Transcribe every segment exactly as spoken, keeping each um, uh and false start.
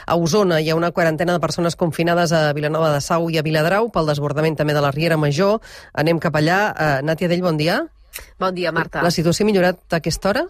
A Osona hi ha una quarantena de persones confinades a Vilanova de Sau i a Viladrau pel desbordament també de la Riera Major. Anem cap allà. Uh, Nàtia Dell, bon dia. Bon dia, Marta. La situació ha millorat a aquesta hora?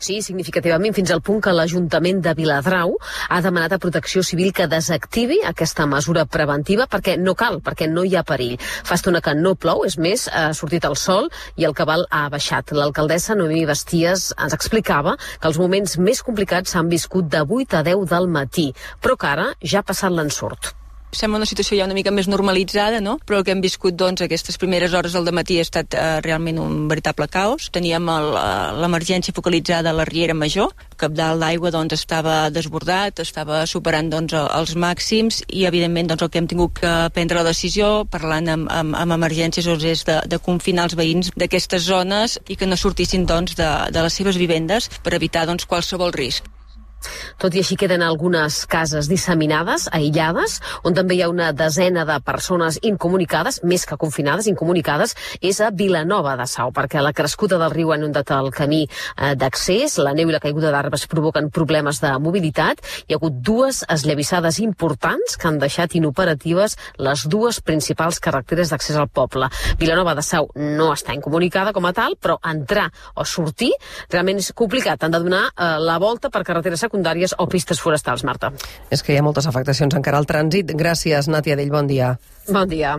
Sí, significativament, fins al punt que l'Ajuntament de Viladrau ha demanat a Protecció Civil que desactivi aquesta mesura preventiva perquè no cal, perquè no hi ha perill. Fa estona que no plou, és més, ha sortit el sol i el cabal ha baixat. L'alcaldessa Noemí Basties ens explicava que els moments més complicats s'han viscut de vuit a deu del matí, però que ara ja ha passat l'ensurt. Sembla una situació ja una mica més normalitzada, no? Però el que hem viscut doncs, aquestes primeres hores del dematí ha estat eh, realment un veritable caos. Teníem l'emergència focalitzada a la Riera Major, el cabdal d'aigua doncs, estava desbordat, estava superant doncs, els màxims i evidentment doncs, el que hem tingut que prendre la decisió, parlant amb, amb, amb emergències, doncs, és de, de confinar els veïns d'aquestes zones i que no sortissin doncs, de, de les seves vivendes per evitar doncs, qualsevol risc. Tot i així queden algunes cases disseminades, aïllades, on també hi ha una desena de persones incomunicades, més que confinades, incomunicades, és a Vilanova de Sau, perquè la crescuda del riu ha inundat el camí eh, d'accés, la neu i la caiguda d'arbres provoquen problemes de mobilitat, hi ha hagut dues esllavissades importants que han deixat inoperatives les dues principals carreteres d'accés al poble. Vilanova de Sau no està incomunicada com a tal, però entrar o sortir realment és complicat. Han de donar eh, la volta per carreteres secundàries o pistes forestals, Marta. És que hi ha moltes afectacions encara al trànsit. Gràcies, Nàtia Dell, bon dia. Bon dia.